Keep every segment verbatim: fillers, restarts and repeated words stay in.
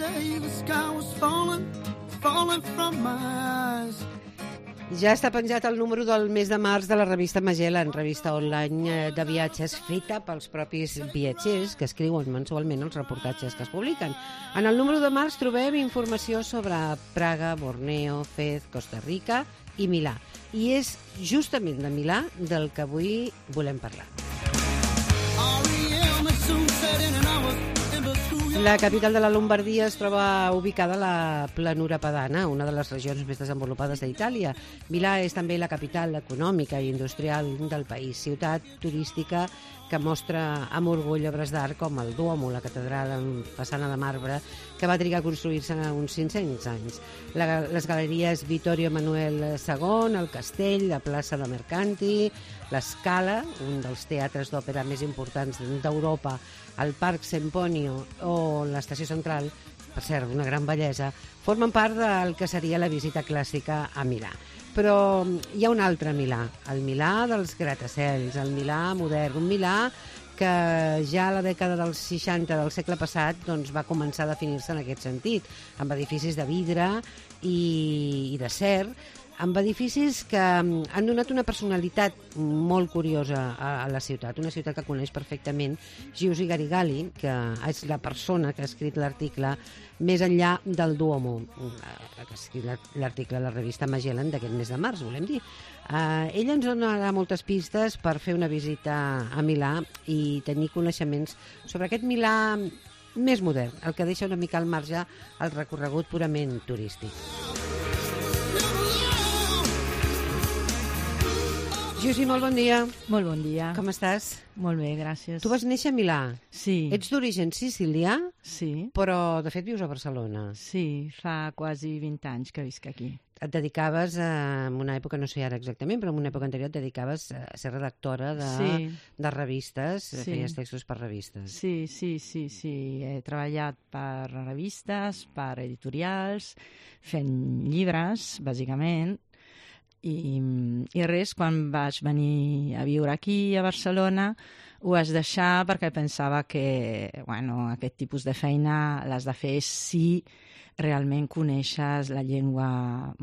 day the sky was falling, falling from my eyes. Ja està penjat el número del mes de març de la revista Magellan, revista online de viatges feta pels propis viatgers que escriuen mensualment els reportatges que es publiquen. En el número de març trobem informació sobre Praga, Borneo, Fez, Costa Rica i Milà. I és justament de Milà del que avui volem parlar. La capital de la Lombardia es troba ubicada a la planura padana, una de les regions més desenvolupades d'Itàlia. Milà és també la capital econòmica i industrial del país, ciutat turística que mostra amb orgull obres d'art com el Duomo, la catedral amb façana de marbre, que va trigar a construir-se uns cinc-cents anys. La, les galeries Vittorio Emanuele segon, el Castell, la plaça de Mercanti, l'Scala, un dels teatres d'òpera més importants d'Europa, el Parc Semponio o l'Estació Central, per cert, una gran bellesa, formen part del que seria la visita clàssica a Milà. Però hi ha un altre Milà, el Milà dels gratacels, el Milà modern, un Milà que ja a la dècada dels seixanta del segle passat doncs, va començar a definir-se en aquest sentit, amb edificis de vidre i, i d'acer, amb edificis que han donat una personalitat molt curiosa a, a la ciutat, una ciutat que coneix perfectament Giusy Garigali, que és la persona que ha escrit l'article Més enllà del Duomo, que ha escrit l'article a la revista Magellan d'aquest mes de març, volem dir. Uh, ella ens donarà moltes pistes per fer una visita a Milà i tenir coneixements sobre aquest Milà més modern, el que deixa una mica al marge el recorregut purament turístic. Giusy, molt bon dia. Molt bon dia. Com estàs? Molt bé, gràcies. Tu vas néixer a Milà. Sí. Ets d'origen sicilià, sí. Però de fet vius a Barcelona. Sí, fa quasi vint anys que visc aquí. Et dedicaves, a, en una època, no sé ara exactament, però en una època anterior et dedicaves a ser redactora de, sí. de revistes, sí. Feies textos per revistes. Sí, sí, sí, sí. He treballat per revistes, per editorials, fent llibres, bàsicament. I, i res, quan vaig venir a viure aquí a Barcelona ho vaig deixar perquè pensava que bueno, aquest tipus de feina l'has de fer si realment coneixes la llengua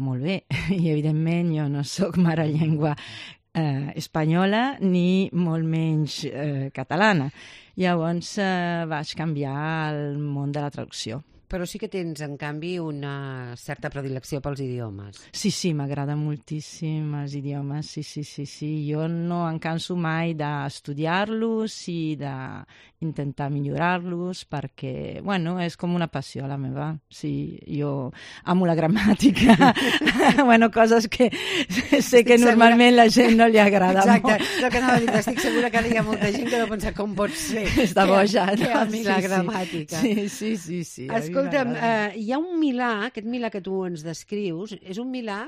molt bé. I evidentment jo no soc mare llengua eh, espanyola ni molt menys eh, catalana. Llavors eh, vaig canviar el món de la traducció. Però sí que tens, en canvi, una certa predilecció pels idiomes. Sí, sí, m'agrada moltíssim els idiomes, sí, sí, sí, sí. Jo no em canso mai d'estudiar-los i d'intentar millorar-los perquè, bueno, és com una passió la meva. Sí, jo amo la gramàtica, bueno, coses que sé estic que normalment segura... la gent no li agrada Exacte. molt. Exacte, el que anava a dir, estic segura que hi ha molta gent que deu pensar com pot ser. Està boja, no? Que a mi sí, la sí. gramàtica. Sí, sí, sí, sí. Escolta'm, eh, hi ha un Milà, aquest Milà que tu ens descrius, és un Milà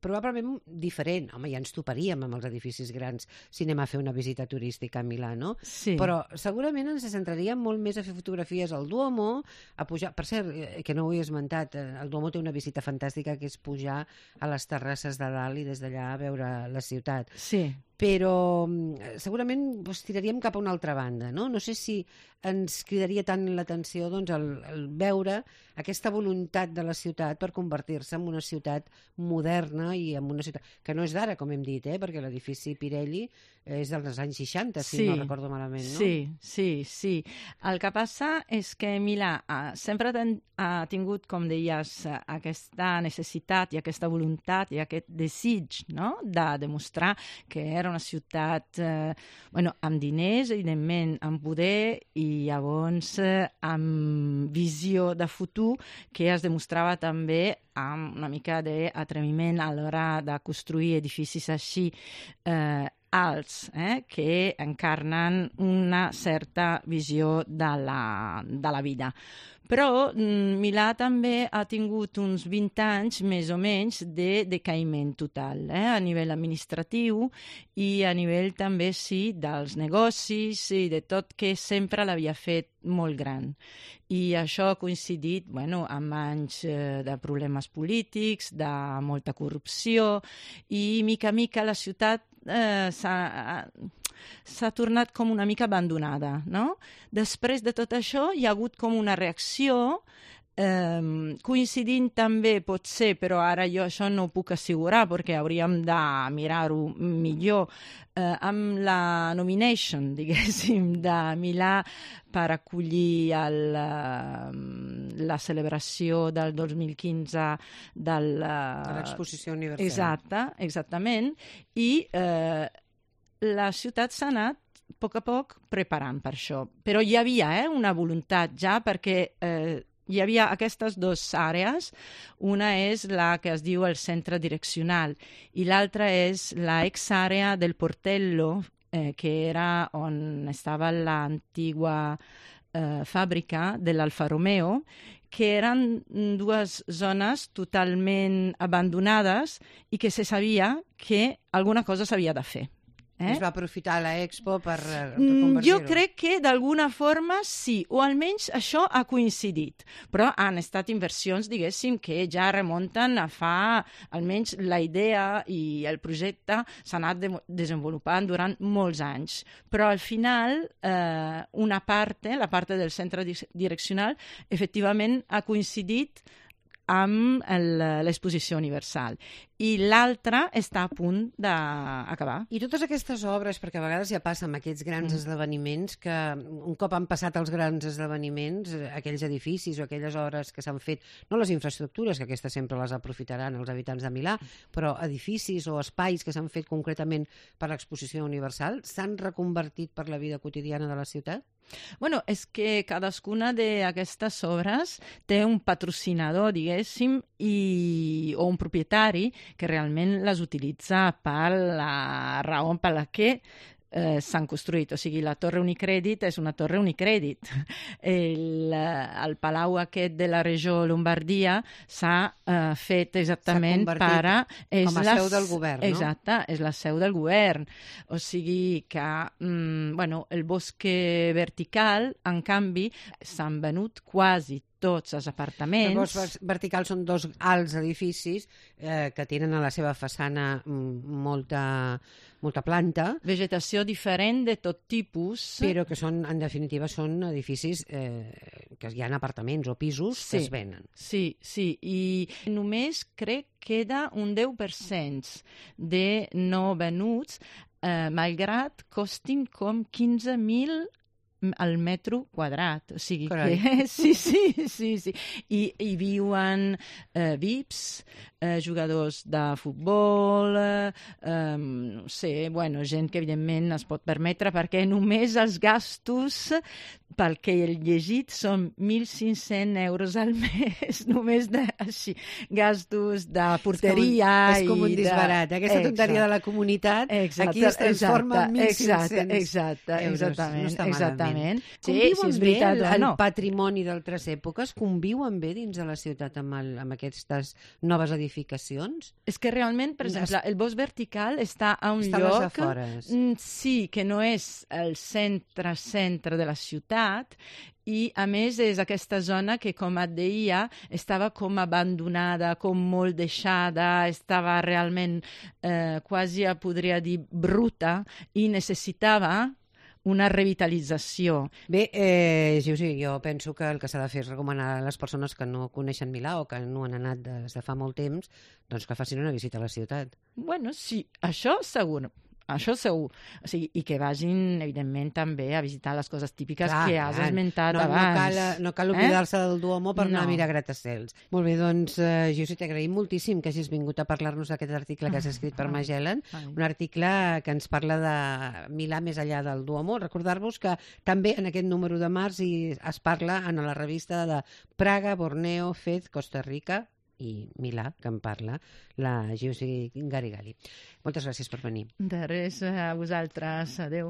probablement diferent. Home, ja ens toparíem amb els edificis grans si anem a fer una visita turística a Milà, no? Sí. Però segurament ens centraríem molt més a fer fotografies al Duomo, a pujar... Per cert, que no ho he esmentat, el Duomo té una visita fantàstica que és pujar a les terrasses de dalt i des d'allà a veure la ciutat. Sí. Però segurament doncs, tiraríem cap a una altra banda, no? No sé si ens cridaria tant l'atenció doncs, el, el veure aquesta voluntat de la ciutat per convertir-se en una ciutat moderna i en una ciutat que no és d'ara, com hem dit, eh? Perquè l'edifici Pirelli és dels anys seixanta, si sí, no recordo malament, no? Sí, sí, sí. El que passa és que Milà ha, sempre ten, ha tingut, com deies, aquesta necessitat i aquesta voluntat i aquest desig, no?, de demostrar que era una ciutat eh, bueno, amb diners, evidentment, amb poder i llavors eh, amb visió de futur que es demostrava també amb una mica d'atreviment a l'hora de construir edificis així eh, alts, eh, que encarnen una certa visió de la, de la vida. Però mm, Milà també ha tingut uns vint anys, més o menys, de decaïment total, eh, a nivell administratiu i a nivell també, sí, dels negocis i de tot que sempre l'havia fet molt gran. I això ha coincidit, bueno, amb anys eh, de problemes polítics, de molta corrupció i, mica a mica, la ciutat eh, s'ha... s'ha tornat com una mica abandonada, no? Després de tot això hi ha hagut com una reacció Eh, coincidint també pot ser, però ara jo això no ho puc assegurar perquè hauríem de mirar-ho millor, eh, amb la nomination, diguéssim, de Milà per acollir el, eh, la celebració del dos mil quinze del, eh, de l'exposició universal. Exacte, exactament, i eh, la ciutat s'ha anat a poc a poc preparant per això. Però hi havia eh, una voluntat ja perquè eh, hi havia aquestes dues àrees. Una és la que es diu el centre direccional i l'altra és la ex-àrea del Portello, eh, que era on estava l'antigua eh, fàbrica de l'Alfa Romeo, que eren dues zones totalment abandonades i que se sabia que alguna cosa s'havia de fer. Eh? Es va aprofitar l'Expo per Mm, reconvertir-ho. Jo crec que d'alguna forma sí, o almenys això ha coincidit, però han estat inversions, diguéssim, que ja remunten a fa, almenys la idea i el projecte s'ha anat de desenvolupant durant molts anys, però al final eh, una part, la part del centre direccional, efectivament ha coincidit amb l'exposició universal. I l'altra està a punt d'acabar. I totes aquestes obres, perquè a vegades ja passa amb aquests grans mm. esdeveniments, que un cop han passat els grans esdeveniments, aquells edificis o aquelles obres que s'han fet, no les infraestructures, que aquestes sempre les aprofitaran els habitants de Milà, però edificis o espais que s'han fet concretament per l'exposició universal, s'han reconvertit per la vida quotidiana de la ciutat? Bueno, és que cadascuna d'aquestes obres té un patrocinador, diguéssim, i, o un propietari que realment les utilitza per la raó per la que eh, s'han construït. O sigui, la Torre Unicredit és una torre Unicredit. El, el palau aquest de la regió Lombardia s'ha eh, fet exactament per a... Com a seu del govern, no? Exacte, és la seu del govern. O sigui que, mm, bueno, el bosque vertical, en canvi, s'han venut quasi tots els apartaments. Els boscs verticals són dos alts edificis eh, que tenen a la seva façana mm, molta, molta planta. Vegetació diferent de tot tipus. Però que són, en definitiva, són edificis eh, que hi ha apartaments o pisos sí, que es venen. Sí, sí, i només crec que queda un deu per cent de no venuts, eh, malgrat costin com quinze mil al metro quadrat, o sigui Carai. que sí, sí, sí, sí. I hi viuen eh, V I Ps, eh, jugadors de futbol, eh, no sé, bueno, gent que evidentment es pot permetre perquè només els gastos, pel que he llegit, són mil cinc-cents euros al mes, només de, així, gastos de porteria. És com, és com un disbarat, de... aquesta tonteria de la comunitat, exacte, aquí es transforma en mil cinc-cents exacte, exacte, euros. Exactament, no està exactament. Sí, Conviuen si és bé veritat, el, el no. patrimoni d'altres èpoques conviuen bé dins de la ciutat amb, el, amb aquestes noves edificacions? És que realment, per exemple, el bosc vertical està a un està lloc... a les afores. Sí, que no és el centre-centre de la ciutat, i a més és aquesta zona que, com et deia, estava com abandonada, com molt deixada, estava realment eh, quasi, podria dir, bruta, i necessitava una revitalització. Bé, eh, sí, sí, jo penso que el que s'ha de fer és recomanar a les persones que no coneixen Milà o que no han anat des de fa molt temps, doncs que facin una visita a la ciutat. Bueno, sí, això segur. Això segur. O sigui, i que vagin, evidentment, també a visitar les coses típiques clar, que has clar. esmentat no, abans. No cal, no cal oblidar-se eh? del Duomo per no. anar a mirar gratacels. Molt bé, doncs, eh, Jussi, t'agraïm moltíssim que hagis vingut a parlar-nos d'aquest article que has escrit per Magellan, un article que ens parla de Milà més enllà del Duomo. Recordar-vos que també en aquest número de març hi es parla en la revista de Praga, Borneo, Fez, Costa Rica i Milà, que en parla la Jussi Garigali. Moltes gràcies per venir. De res, a vosaltres. Adéu.